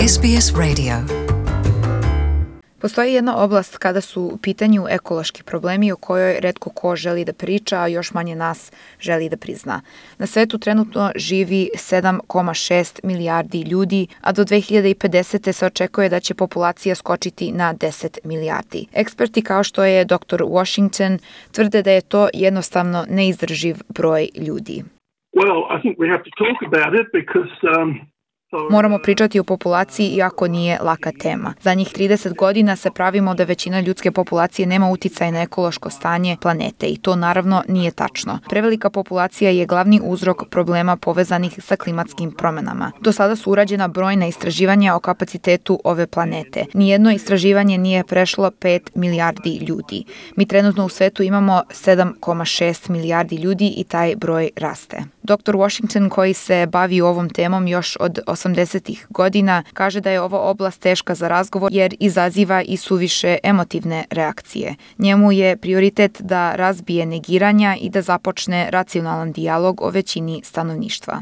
SBS Radio. Postoji jedna oblast kada su u pitanju ekološki problemi o kojoj retko ko želi da priča, a još manje nas želi da prizna. Na svetu trenutno živi 7,6 milijardi ljudi, a do 2050. se očekuje da će populacija skočiti na 10 milijardi. Eksperti kao što je Dr. Washington tvrde da je to jednostavno neizdrživ broj ljudi. Moramo pričati o populaciji iako nije laka tema. Zadnjih 30 godina se pravimo da većina ljudske populacije nema uticaj na ekološko stanje planete i to naravno nije tačno. Prevelika populacija je glavni uzrok problema povezanih sa klimatskim promenama. Do sada su urađena brojna istraživanja o kapacitetu ove planete. Nijedno istraživanje nije prešlo 5 milijardi ljudi. Mi trenutno u svetu imamo 7,6 milijardi ljudi i taj broj raste. Dr. Washington, koji se bavi ovom temom još od 80-ih godina, kaže da je ova oblast teška za razgovor jer izaziva i suviše emotivne reakcije. Njemu je prioritet da razbije negiranja i da započne racionalan dijalog o većini stanovništva.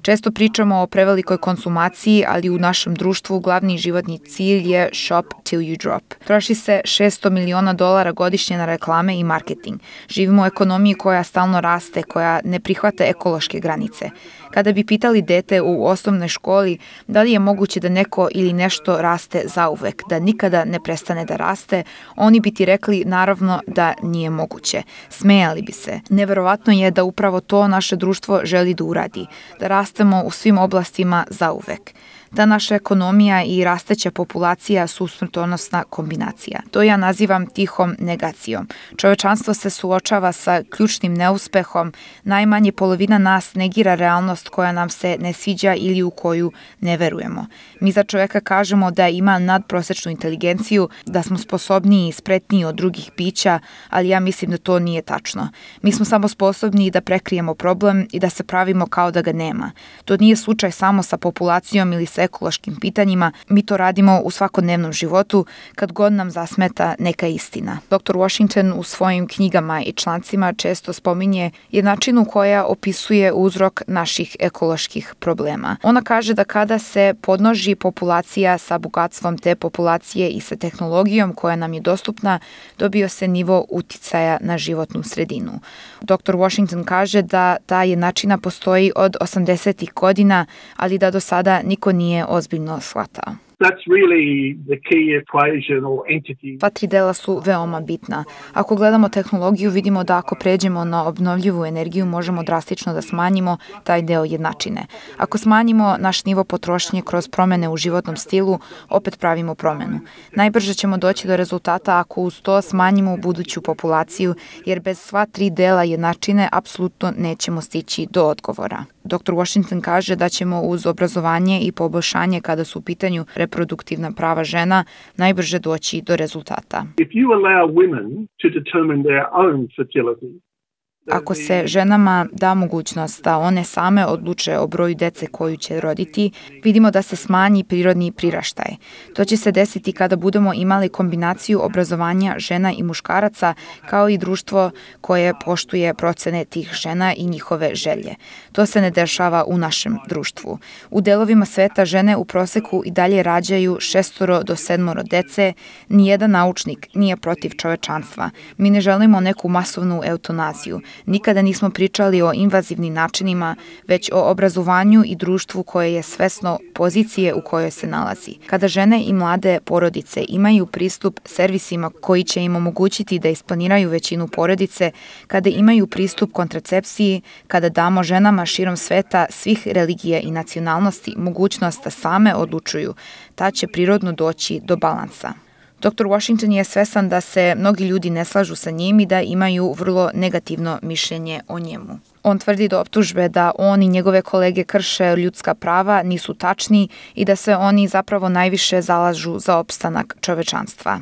Često pričamo o prevelikoj konsumaciji, ali u našem društvu glavni životni cilj je shop till you drop. Troši se $600 miliona godišnje na reklame i marketing. Živimo u ekonomiji koja stalno raste, koja ne prihvata ekološke granice. Kada bi pitali dete u osnovnoj školi da li je moguće da neko ili nešto raste zauvek, da nikada ne prestane da raste, oni bi ti rekli naravno da nije moguće. Smejali bi se. Neverovatno je da upravo to naše društvo želi da uradi, da rastemo u svim oblastima zauvek. Ta naša ekonomija i rasteća populacija su smrtonosna kombinacija. To ja nazivam tihom negacijom. Čovečanstvo se suočava sa ključnim neuspehom, najmanje polovina nas negira realnost koja nam se ne sviđa ili u koju ne verujemo. Mi za čoveka kažemo da ima nadprosečnu inteligenciju, da smo sposobniji i spretniji od drugih bića, ali ja mislim da to nije tačno. Mi smo samo sposobni da prekrijemo problem i da se pravimo kao da ga nema. To nije slučaj samo sa populacijom ili sa ekološkim pitanjima, mi to radimo u svakodnevnom životu kad god nam zasmeta neka istina. Dr. Washington u svojim knjigama i člancima često spominje jednačinu koja opisuje uzrok naših ekoloških problema. Ona kaže da kada se podnoži populacija sa bogatstvom te populacije i sa tehnologijom koja nam je dostupna, dobio se nivo uticaja na životnu sredinu. Dr. Washington kaže da ta jednačina postoji od 80-ih godina, ali da do sada niko nije ozbiljno shvatao. Ta tri dela su veoma bitna. Ako gledamo tehnologiju, vidimo da ako pređemo na obnovljivu energiju, možemo drastično da smanjimo taj deo jednačine. Ako smanjimo naš nivo potrošnje kroz promene u životnom stilu, opet pravimo promenu. Najbrže ćemo doći do rezultata ako uz to smanjimo buduću populaciju, jer bez sva tri dela jednačine apsolutno nećemo stići do odgovora. Dr. Washington kaže da ćemo uz obrazovanje i poboljšanje kada su u pitanju reproduktivna prava žena najbrže doći do rezultata. Ako se ženama da mogućnost da one same odluče o broju dece koju će roditi, vidimo da se smanji prirodni priraštaj. To će se desiti kada budemo imali kombinaciju obrazovanja žena i muškaraca, kao i društvo koje poštuje procene tih žena i njihove želje. To se ne dešava u našem društvu. U delovima sveta žene u proseku i dalje rađaju 6 do 7 dece. Nijedan naučnik nije protiv čovečanstva. Mi ne želimo neku masovnu eutanaziju. Nikada nismo pričali o invazivnim načinima, već o obrazovanju i društvu koje je svesno pozicije u kojoj se nalazi. Kada žene i mlade porodice imaju pristup servisima koji će im omogućiti da isplaniraju većinu porodice, kada imaju pristup kontracepciji, kada damo ženama širom sveta svih religija i nacionalnosti mogućnost da same odlučuju, ta će prirodno doći do balansa. Dr. Washington je svesan da se mnogi ljudi ne slažu sa njim i da imaju vrlo negativno mišljenje o njemu. On tvrdi da optužbe da on i njegove kolege krše ljudska prava nisu tačni i da se oni zapravo najviše zalažu za opstanak čovečanstva.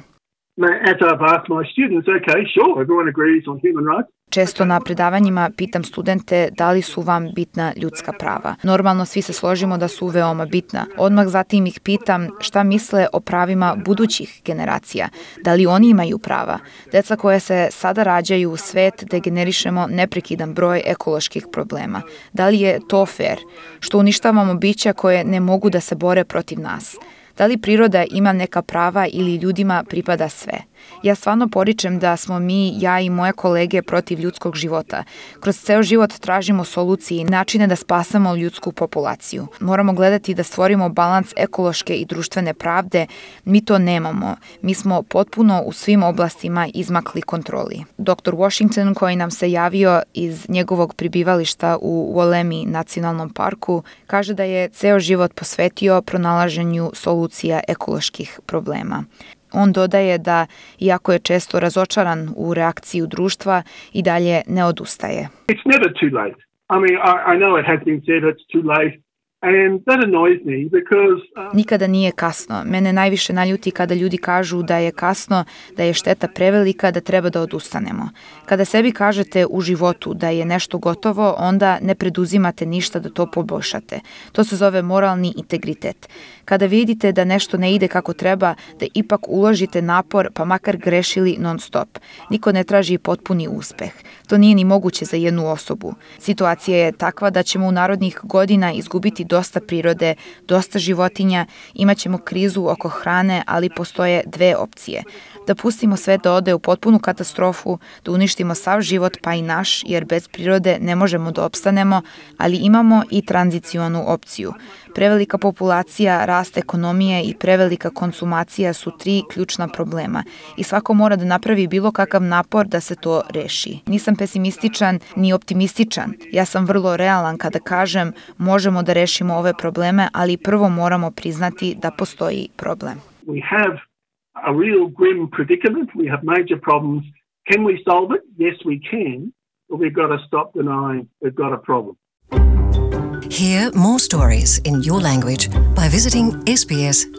Često na predavanjima pitam studente da li su vam bitna ljudska prava. Normalno svi se složimo da su veoma bitna. Odmah zatim ih pitam šta misle o pravima budućih generacija. Da li oni imaju prava? Deca koja se sada rađaju u svet da generišemo neprekidan broj ekoloških problema. Da li je to fair? Što uništavamo bića koje ne mogu da se bore protiv nas? Da li priroda ima neka prava ili ljudima pripada sve? Ja stvarno poričem da smo mi, ja i moje kolege protiv ljudskog života. Kroz ceo život tražimo solucije i načine da spasamo ljudsku populaciju. Moramo gledati da stvorimo balans ekološke i društvene pravde. Mi to nemamo. Mi smo potpuno u svim oblastima izmakli kontroli. Dr. Washington, koji nam se javio iz njegovog pribivališta u Wollemi nacionalnom parku, kaže da je ceo život posvetio pronalaženju solucija ekoloških problema. On dodaje da, iako je često razočaran u reakciju društva, i dalje ne odustaje. It's never too late. I mean, I know it has been said it's too late. And that annoys me because Nikada nije kasno. Mene najviše naljuti kada ljudi kažu da je kasno, da je šteta prevelika, da treba da odustanemo. Kada sebi kažete u životu da je nešto gotovo, onda ne preduzimate ništa da to poboljšate. To se zove moralni integritet. Kada vidite da nešto ne ide kako treba, da ipak uložite napor, pa makar grešili non stop. Niko ne traži potpuni uspeh. To nije ni moguće za jednu osobu. Situacija je takva da ćemo u narodnih godina izgubiti dosta prirode, dosta životinja, imaćemo krizu oko hrane, ali postoje dve opcije. Da pustimo sve da ode u potpunu katastrofu, da uništimo sav život pa i naš, jer bez prirode ne možemo da opstanemo, ali imamo i tranzicionu opciju. Prevelika populacija, rast ekonomije i prevelika konsumacija su tri ključna problema i svako mora da napravi bilo kakav napor da se to reši. Nisam pesimističan ni optimističan. Ja sam vrlo realan kada kažem možemo da rešimo ove probleme, ali prvo moramo priznati da postoji problem. we have a real grim predicament. We have major problems. Can we solve it? Yes, we can. But we've got to stop denying we've got a problem. Hear more stories in your language by visiting sbs.com.au.